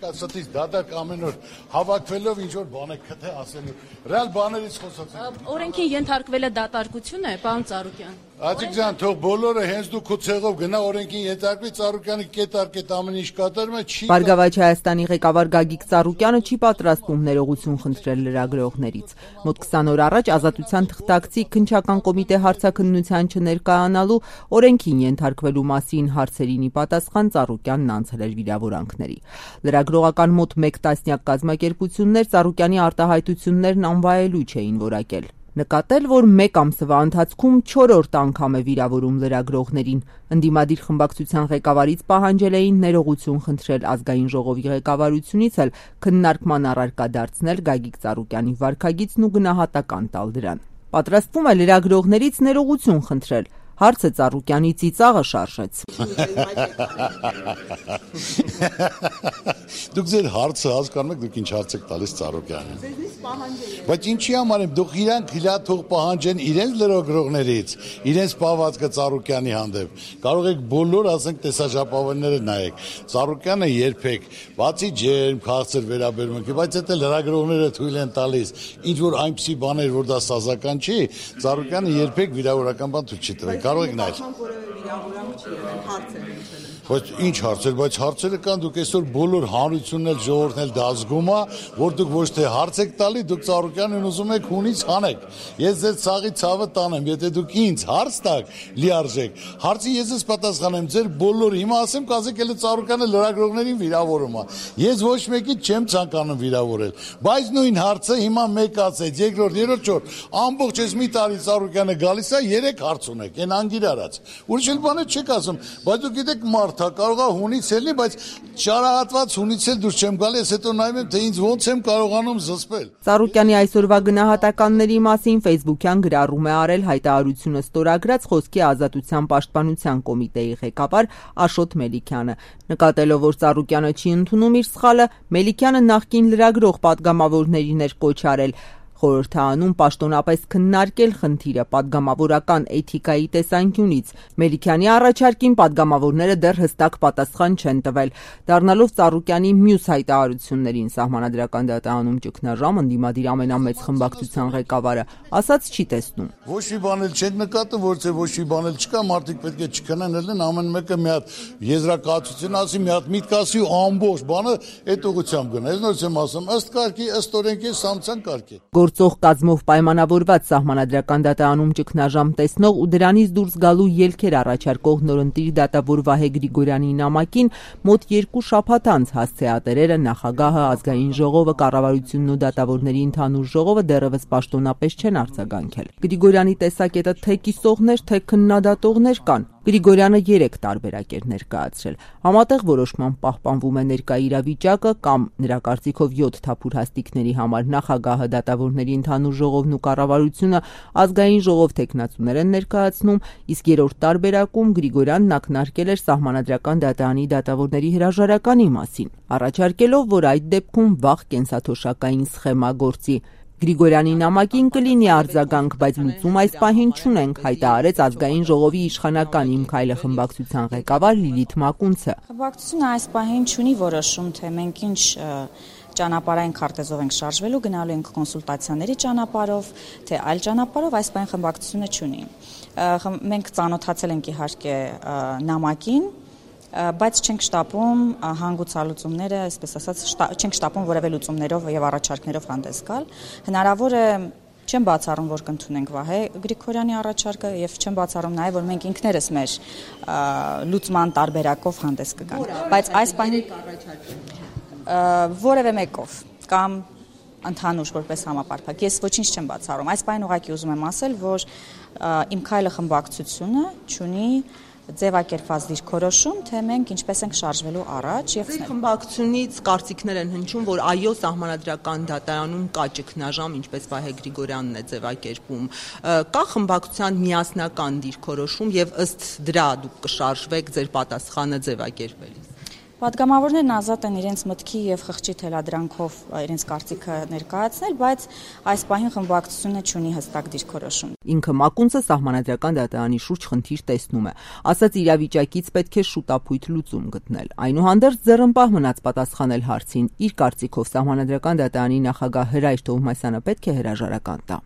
չկա, ստից դադարք ամեն օր հավաքվելով ինչ-որ բան է քթե ասելու, ռեալ բաներից խոսացեք։ Օրենքի ենթարկվել է դատարկություն է, պարոն Ծառուկյան։ Աջիկ ջան, թող բոլորը հենց դու քո ցեղով գնա օրենքին ենթարկվի, Ծառուկյանը կետարկետ ամեն ինչ կատարում է, չի։ Բարգավաճ Հայաստանի ղեկավար Գագիկ Ծառուկյանը չի պատրաստվում ներողություն խնդրել լրագրողներից։ Մոտ 20 օր առաջ Ազատության թղթակցի քննչական կոմիտե հարցաքննության չներկայանալու օրենքին ենթարկվելու մասին հարցերին ի պատասխան Ծառուկյանն անցել էր վիրավորանքների։ Լրագրողական մոտ 1 տասնյակ կազմակերպություններ Ծառուկյանի արտահայտություններն անվայելույթ չէին որակել։ Նկատել, որ 1 ամսվա ընթացքում 4-րդ անգամ է վիրավորում լրագրողներին։ Ընդդիմադիր խմբակցության ղեկավարից պահանջել էին ներողություն խնդրել ազգային ժողովի ղեկավարությունից էլ քննարկման առարկա դարձնել Գագիկ Ծառուկյանի վարքագիծն ու գնահատական տալ դրան։ Պատրաստվում է լրագրողներից ներողություն խնդրել։ Հարցը Ծառուկյանի ծիծաղը շարժեց։ Դուք ձեր հարցը հասկանում եք, դուք ինչ հարց եք տալիս Ծառուկյանին։ Բայց ինչի համար եմ, դուք իրանք թող պահանջեն իրենց լրագրողներից, իրենց պահվածքը Ծառուկյանի հանդեպ։ Կարող եք բոլոր, ասենք, տեսաժապավենները նայեք։ Ծառուկյանը երբեք, բացի ջերմ, քաղցր վերաբերմունքի, բայց դա լրագրողները թույլ են տալիս, ինչ որ այնպիսի բաներ, որ դա սազական չի, Ծառուկյանը երբեք վիրավորական բան թույլ չի տվել։ Կարող եք նայել։ Բայց ինչ հարցեր, բայց հարցերը կան, դուք այսօր բոլոր հանրությունն էլ ժողովուրդն էլ դա զգում է, որ դուք ոչ թե հարց եք տալի, դուք Ծառուկյանին ուզում եք հունից հանեք։ Ես ձեր ցաղի ցավը տանեմ, եթե դուք ինձ հարց տաք, լիարժեք։ Հարցի ես ես պատասխանեմ, ձեր բոլոր հիմա ասեմ, կասեք էլ Ծառուկյանը լրագրողներին վիրավորում է։ Ես ոչ մեկից չեմ ցանկանում վիրավորել, բայց նույն հարցը հիմա մեկ ասեց, երկրորդ, երրորդ, չորրորդ, ամբողջ այս մի տարի Ծառուկյանը գալիս է, 3 հարց ունեք, այն անգիր արած։ Ուրիշ էլ բաներ չեք ասում, բայց դուք գիտեք մարդ կարող է հունից ելնի, բայց ճարահատված հունից էլ դուրս չեմ գալի, ես հետո նայում եմ, թե ինձ ոնց եմ կարողանում զսպել։ Ծառուկյանի այսօրվա գնահատականների մասին Facebook-յան գրառում է արել հայտարարությունը ստորագրած Խոսքի ազատության պաշտպանության կոմիտեի ղեկավար Աշոտ Մելիքյանը։ Նկատելով, որ Ծառուկյանը չի ընդունում իր սխալը, Մելիքյանը նախկին լրագրող պատգամավորներին էր կոչ արել խորհրդանում պաշտոնապես քննարկել խնդիրը պատգամավորական էթիկայի տեսանկյունից։ Մելիքյանի առաջարկին պատգամավորները դեռ հստակ պատասխան չեն տվել։ Դառնալով Ծառուկյանի մյուս հայտարարություններին Սահմանադրական դատարանում ճգնաժամ ընդդիմադիր ամենամեծ խմբակցության ղեկավարը ասաց չի տեսնում։ Ոչ մի բան էլ չեք նկատում, որ ոչ մի բան էլ չկա, մարդիկ պետք է չքննեն, ամեն մեկը մի հատ եզրակացություն ասի, մի հատ միտք ասի ու ամբողջ բանը այդ ուղղությամբ գնա։ Ես նորից եմ ասում, ըստ կարգի, ըստ օրենքի, սամցան կարգի։ Գործող կազմով պայմանավորված Սահմանադրական դատարանում ճգնաժամ տեսնող ու դրանից դուրս գալու ելքեր առաջարկող նորընտիր դատավոր Վահե Գրիգորյանի նամակին մոտ 2 շաբաթ անց հասցեատերերը, նախագահը, ազգային ժողովը, կառավարությունն ու դատավորների ընդհանուր ժողովը դեռևս պաշտոնապես չեն արձագանքել։ Գրիգորյանի տեսակետը թե կիսողներ, թե քննադատողներ կան։ Գրիգորյանը 3 տարբերակ էր ներկայացրել։ Համատեղ որոշման պահպանվում է ներկա իրավիճակը կամ նրա կարծիքով 7 թափուր հաստիկների համար նախագահը, դատավորների ընդհանուր ժողովն ու կառավարությունը ազգային ժողով թեկնածուներ են ներկայացնում, իսկ 3-րդ տարբերակում Գրիգորյանն ակնարկել էր Սահմանադրական դատարանի դատավորների հրաժարականի մասին, առաջարկելով, որ այդ դեպքում վաղ կենսաթոշակային սխեմա գործի։ Գրիգորյանի նամակին կլինի արձագանք, բայց լուծում այս պահին չունենք, հայտարարեց ազգային ժողովի իշխանական Իմ քայլը խմբակցության ղեկավար Լիլիթ Մակունցը։ Խմբակցությունը այս պահին չունի որոշում, թե մենք ինչ ճանապարհային քարտեզով ենք շարժվելու, գնալու ենք կոնսուլտացիաների ճանապարհով, թե այլ ճանապարհով, այս պահին խմբակցությունը չունի։ Մենք ծանոթացել ենք իհարկե նամակին, բայց չենք շտապում հանգուցալուծումները, այսպես ասած, չենք շտապում որևէ լուծումներով եւ առաջարկներով հանդես գալ։ Հնարավոր է չեմ բացառում, որ կընդունենք Վահե Գրիգորյանի առաջարկը եւ չեմ բացառում նաեւ, որ մենք ինքներս մեր լուծման տարբերակով հանդես կգանք։ Բայց այս պահին որևէ մեկով կամ ընդհանուր որպես համապարփակ ես ոչինչ չեմ բացառում։ Այս պահին ուղղակի ուզում եմ ասել, որ Իմ քայլը խմբակցությունը չունի ձևակերպված դիրքորոշում, թե մենք ինչպես ենք շարժվելու առաջ եւ խմբակցությունից կարծիքներ են հնչում, որ այո, Սահմանադրական դատարանում կա ճգնաժամ, ինչպես Վահե Գրիգորյանն է ձևակերպում։ Կա խմբակցության միասնական դիրքորոշում եւ ըստ դրա դուք կշարժվեք ձեր պատասխանը ձևակերպելիս։ Պատգամավորներն ազատ են իրենց մտքի եւ խղճի թելադրանքով իրենց կարծիքը ներկայացնել, բայց այս պահին խմբակցությունը չունի հստակ դիրքորոշում։ Ինքը Մակունցը սահմանադրական դատարանի շուրջ խնդիր տեսնում է, ասաց իրավիճակից պետք է շուտապույտ լուծում գտնել։ Այնուհանդերձ ձեռնպահ մնաց պատասխանել հարցին, իր կարծիքով սահմանադրական դատարանի նախագահ Հրայր Թովմասյանը պետք է հրաժարական տա։